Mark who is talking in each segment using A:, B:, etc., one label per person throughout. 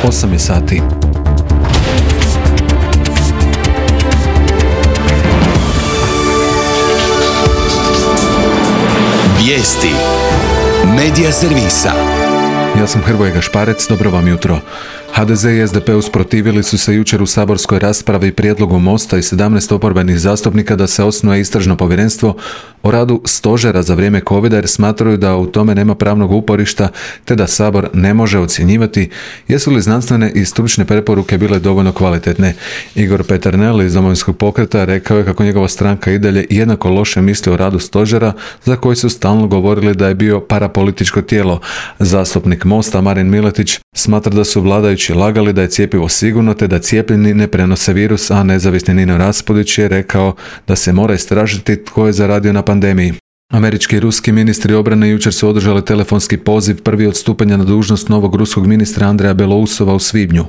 A: 8 je sati.
B: Vijesti Medija servisa.
A: Ja sam Hrvoje Gašparec, dobro vam jutro. HDZ i SDP usprotivili su se jučer u saborskoj raspravi prijedlogu Mosta i 17 oporbenih zastupnika da se osnuje istražno povjerenstvo o radu stožera za vrijeme covida jer smatraju da u tome nema pravnog uporišta te da Sabor ne može ocjenjivati jesu li znanstvene i stručne preporuke bile dovoljno kvalitetne. Igor Peternel iz Domovinskog pokreta rekao je kako njegova stranka i dalje jednako loše misli o radu stožera za koji su stalno govorili da je bio parapolitičko tijelo. Zastupnik Mosta Marin Miletić smatra da su vladajući lagali da je cjepivo sigurno te da cijepljeni ne prenose virus, a nezavisni Nino Raspudić je rekao da se mora istražiti tko je zaradio na pandemiji. Američki i ruski ministri obrane jučer su održali telefonski poziv prvi od stupanja na dužnost novog ruskog ministra Andreja Belousova u svibnju.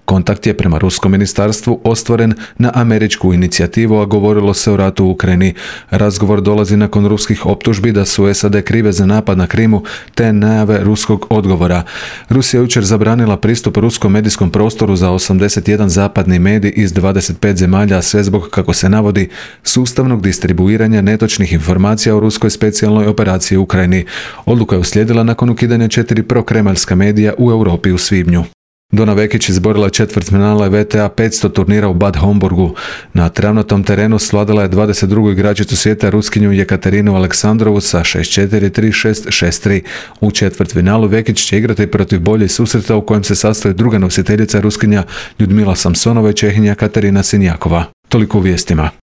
A: Kontakt je prema ruskom ministarstvu ostvaren na američku inicijativu, a govorilo se o ratu u Ukrajini. Razgovor dolazi nakon ruskih optužbi da su SAD krive za napad na Krimu te najave ruskog odgovora. Rusija jučer zabranila pristup ruskom medijskom prostoru za 81 zapadni medij iz 25 zemalja, sve zbog, kako se navodi, sustavnog distribuiranja netočnih informacija o ruskoj specijalnoj operaciji u Ukrajini. Odluka je uslijedila nakon ukidanja 4 prokremeljska medija u Europi u svibnju. Dona Vekić izborila četvrtfinale VTA 500 turnira u Bad Homburgu. Na travnatom terenu svladala je 22. igračicu svijeta Ruskinju Jekaterinu Aleksandrovu sa 6-4, 3-6, 6-3. U četvrtfinalu Vekić će igrati protiv bolje susreta u kojem se sastoji druga nositeljica Ruskinja Ljudmila Samsonova i Čehinja Katerina Sinjakova. Toliko u vijestima.